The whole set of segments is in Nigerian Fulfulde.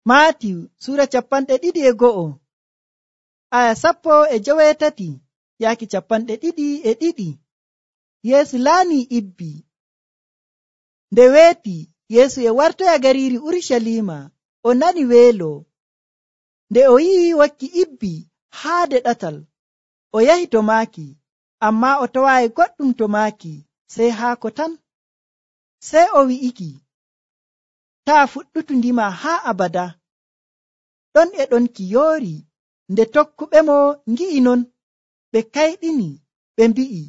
Maatiyu sura 21 aya 18 yaaki 22. Yeesu laani ibbi. Nde weeti Yeesu e wartoya gariiri Urusalima, o nani weelo. Nde o yi'i wakki ibbi haade ɗatal, o yahi to maaki, ammaa o tawaayi goɗɗum to maaki sey haako tan. Sey o wi'iki, taa fuɗɗutu ndima haa abada. Ɗon e ɗon ki yoori. Nde tokkuɓemo ngi'i non, ɓe kayɗini, ɓe mbi'i,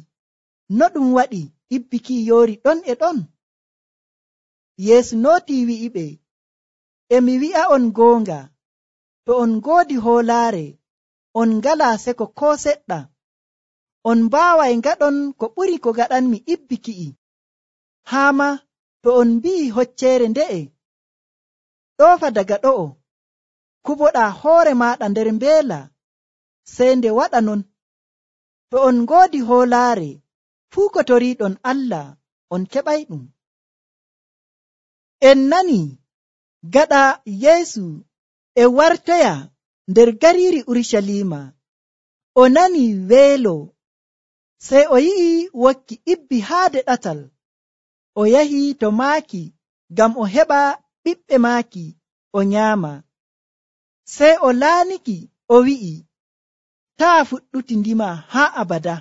no ɗum waɗi ibbi ki yoori ɗon e ɗon? Yeesu nootii wi'iɓe, mi wi'a'on goonga, to on ngoodi hoolaare, on ngalaa seko koo seɗɗa. On mbaaway ngaɗon ko ɓuri ko gaɗanmi ibbi ki'i. Haa ma to on mbi'i hocceere nde'e, ɗoofa daga ɗo'o, kuboɗaa hoore maaɗa nder mbeela, sey nde waɗa non. To on ngoodi hoolaare, fuu ko toriiɗon Allah, on keɓayɗum. En nani gaɗa Yeesu e wartoya nder gariiri Urusalima, o nani weelo, sey o yi'i wokki ibbi haade ɗatal, o yahi to maaki ngam o heɓa ɓiɓɓe maaki o nyaama. Sey o laaniki, o wi'i, taa fuɗɗuti ndima haa abada.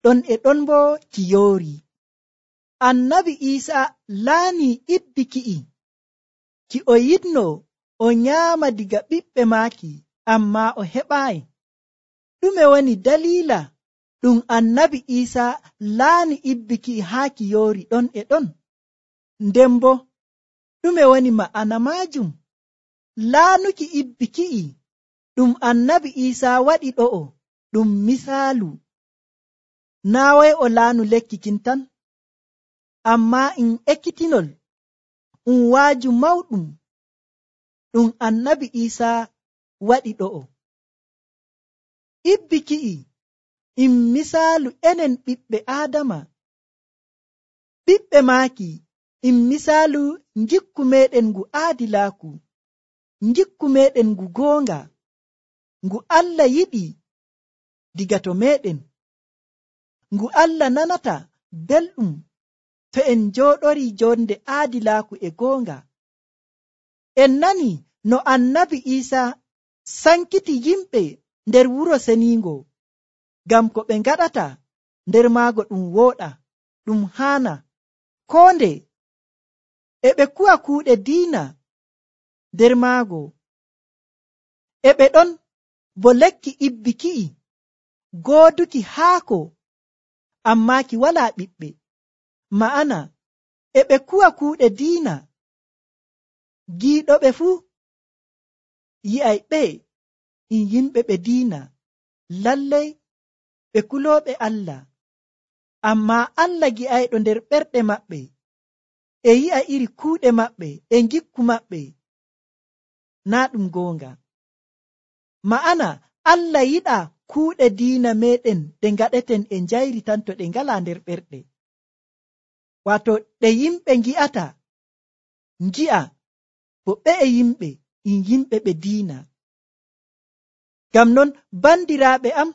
Ɗon e ɗon bo ki yoori. Annabi Iisaa laanii ibbi ki'i, ki o yiɗno o nyaama diga ɓiɓɓe maaki, ammaa o heɓaayi. Ɗume woni daliila ɗum annabi Iisaa laani ibbi ki'i haa ki yoori ɗon e ɗon? Nden bo ɗume woni ma'ana maajum? Laanuki ibbi ki'i ɗum annabi Iisaa waɗi ɗo'o ɗum misaalu. Naa wai o laanu lekki kin tan, ammaa ekkitinol, waaju mawɗum ɗum annabi Iisaa waɗi ɗo'o. Ibbi ki'i misaalu enen ɓiɓɓe Aadama. Ɓiɓɓe maaki misaalu ngikku meɗen ngu aadilaaku, ngikku meɗen ngu goonga, ngu Allah yiɗi diga to meɗen, ngu Allah nanata belɗum to en njooɗorii jonde aadilaaku e goonga. En nani no annabi Iisaa sankiti yimɓe nder wuro seniingo, ngam ko ɓe ngaɗata nder maago ɗum wooɗa, ɗum haana, koo nde e ɓe kuwa kuuɗe diina nder maago. E ɓe ɗon bo lekki ibbi ki'i, gooduki haako, ammaa ki walaa ɓiɓɓe. Ma'ana e ɓe kuwa kuuɗe diina. Giiɗoɓe fuu yi'ay ɓe yimɓe ɓe diina, lallay ɓe kulooɓe Allah, ammaa Allah gi'ayɗo nder ɓerɗe maɓɓe, e yi'a iri kuuɗe maɓɓe e ngikku maɓɓe, naa ɗum goonga. Ma'ana Allah yiɗaa kuuɗe diina meɗen ɗe ngaɗeten e njayri tan to ɗe ngalaa nder ɓerɗe. Waato ɗe yimɓe ngi'ata, ngi'a bo ɓe yimɓe ɓe diina. Ngam non bandiraaɓe am,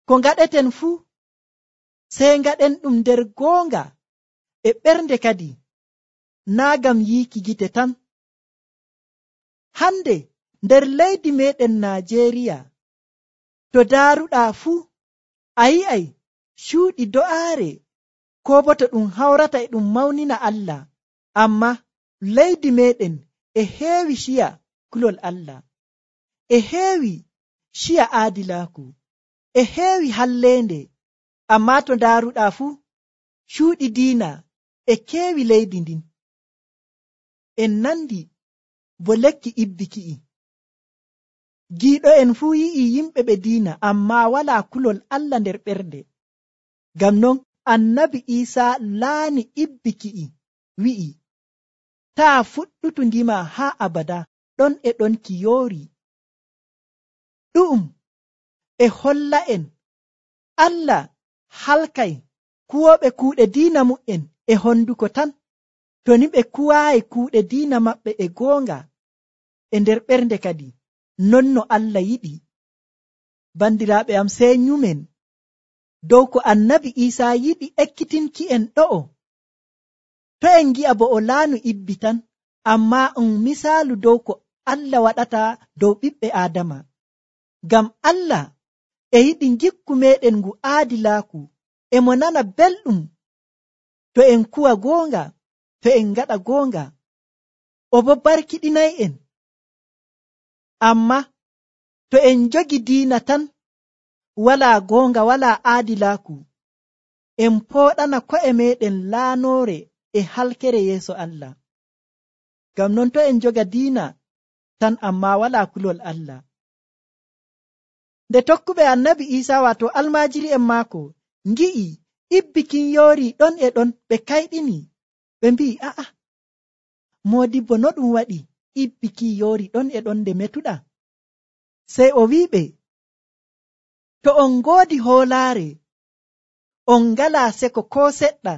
ko ngaɗeten fuu sey ngaɗen ɗum nder goonga e ɓernde kadi, naa ngam yiiki gite tan. Hande nder leydi meɗen Najeriya, to daaruɗaa fuu a yi'ay cuuɗi do'aare, koo bo to ɗum hawrata e ɗum mawnina Allah, ammaa leydi meɗen e heewi ciya kulol Allah, e heewi ciya aadilaaku, e heewi halleende, ammaa to daaruɗaa fuu cuuɗi diina e keewi leydi ndin. En nandi bo lekki ibbi ki'i. Giiɗo'en fuu yi'i yimɓe ɓe diina, ammaa walaa kulol Allah nder ɓernde. Ngam non annabi Iisaa laani ibbi ki'i, wi'i, taa fuɗɗutu ndima haa abada, ɗon e ɗon ki yoori. Ɗu'um e holla'en Allah halkay kuwooɓe kuuɗe diina mu'en e honduko tan, to ni ɓe kuwaayi kuuɗe diina maɓɓe e goonga. e nder ɓernde kadi non no Allah yiɗi. Bandiraaɓe am, sey nyumen dow ko annabi Isa yiɗi ekkitinki en ɗo'o. To en gi'a bo o laanu ibbi tan, amma misaalu dow ko Allah waɗata dow ɓiɓɓe Aadama. Ngam Allah e yiɗi gikku meɗen ngu aadilaaku, e mo nana belɗum to en kuwa goonga, to en ngaɗa goonga, o bo barkiɗinay en. Amma to en jogi diina tan, walaa goonga, walaa aadilaaku, en pooɗana ko'e meɗen laanoore e halkere yeeso Allah. Ngam non to en joga diina tan amma walaa kulol Allah. Nde tokkuɓe annabi Isa wato almaajiri'en maako ngi'i ibbi kin yoori ɗon e ɗon, ɓe kayɗini, ɓe mbi'i, a'a, moodibbo no ɗum waɗi ibbi kin yoori ɗon e ɗon nde metuɗa? Sey o wi'iɓe, to on ngoodi hoolaare, on ngalaa seko koo seɗɗa,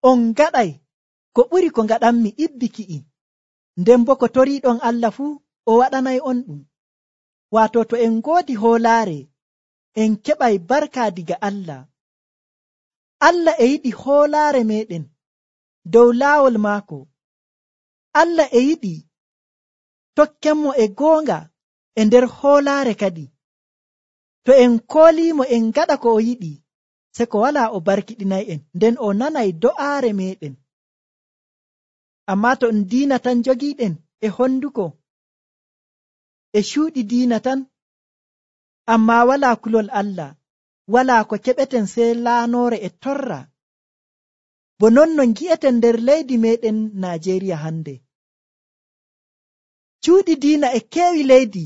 on ngaɗay ko ɓuri ko ngaɗanmi ibbi ki'i, nden bo ko toriiɗon Allah fuu o waɗanay on ɗum. Waato to en ngoodi hoolaare, en keɓay barka diga Allah. Allah e yiɗi hoolaare meɗen dow laawol maako. Allah e yiɗi tokkenmo e goonga e nder hoolaare kadi. To en kooliimo en ngaɗa ko o yiɗi, se ko walaa o barkiɗinay en, nden o nanay do'aare meɗen. Amma to en diina tan jogiiɗen e honduko, e cuuɗi diina tan, amma walaa kulol Allah, walaa ko keɓeten sey laanoore e torra, bo non no ngi'eten nder leydi meɗen Najeriya hande. Cuuɗi diina e keewi leydi,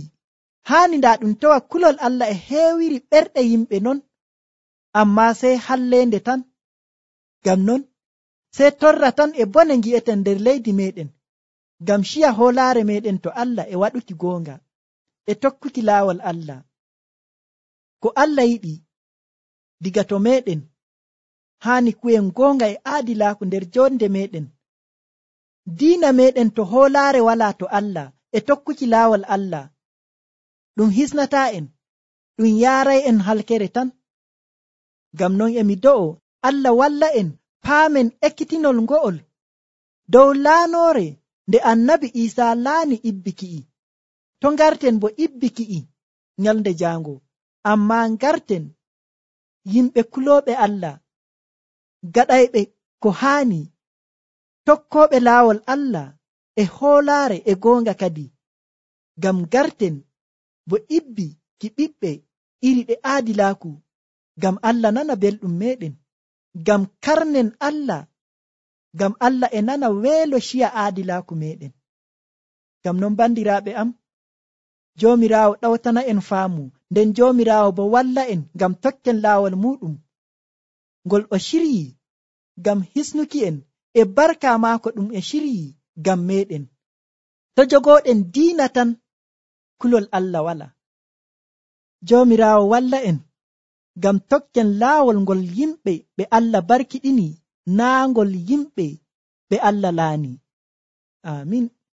haani ndaa ɗum tawa kulol Allah e heewiri ɓerɗe yimɓe non, amma sey halleende tan. Ngam non sey torra tan e bone ngi'eten nder leydi meɗen, ngam ciya hoolaare meɗen to Allah e waɗuki goonga, e tokkuki laawol Allah. Ko Allah yiɗi diga to meɗen, haani kuwen goonga e aadilaaku nder jonde meɗen. Diina meɗen to hoolaare walaa to Allah e tokkuki laawol Allah, ɗum hisnataa en, ɗum yaaray en halkere tan. Ngam non emi do'o Allah walla en paamen ekkitinol ngo'ol dow laanoore nde annabi Isa laani ibbi ki'i. To ngarten bo ibbi ki'i nyalnde jaango, amma ngarten yimɓe kulooɓe Allah, gaɗayɓe ko haani, tokkooɓe laawol Allah e hoolaare e goonga kadi. Ngam ngarten bo ibbi ki ɓiɓɓe iri ɗe aadilaaku, ngam Allah nana belɗum meɗen, ngam karnen Allah, ngam Allah e nana weelo ciya aadilaaku meɗen. Ngam non bandiraaɓe am, Joomiraawo ɗawtana en faamu, nden Joomiraawo bo walla en ngam tokken laawol muɗum ngol o ciryi ngam hisnuki en e barka maako ɗum e ciryi ngam meɗen. To jogooɗen diina tan, kulol Allah wala. Joomiraawo walla en ngam tokken laawol ngol yimɓe ɓe Allah barkiɗini, naa ngol yimɓe ɓe Allah laani. Amin.